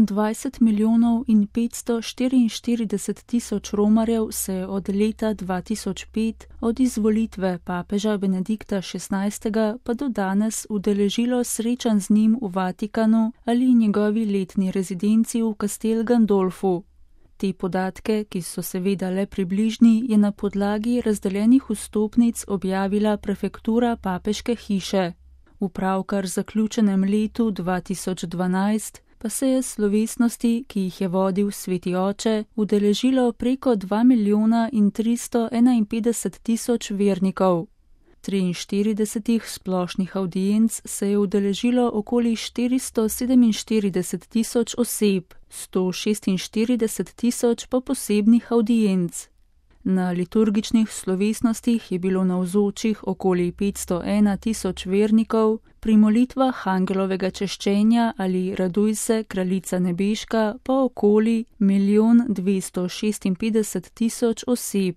20 milijonov in 544 tisoč romarjev se je od leta 2005, od izvolitve papeža Benedikta XVI. Pa do danes udeležilo srečanj z njim v Vatikanu ali njegovi letni rezidenci v Castel Gandolfu. Te podatke, ki so seveda le približni, je na podlagi razdeljenih vstopnic objavila prefektura papeške hiše. V pravkar zaključenem letu 2012 pa se je slovesnosti, ki jih je vodil Sveti oče, udeležilo preko 2 milijona in 351 tisoč vernikov. 43 splošnih avdienc se je udeležilo okoli 447 tisoč oseb, 146 tisoč pa posebnih avdienc. Na liturgičnih slovesnostih je bilo navzočih okoli 501 tisoč vernikov, pri molitvah angelovega češčenja ali Raduj se, kraljica nebeška pa okoli 1 256 000 oseb.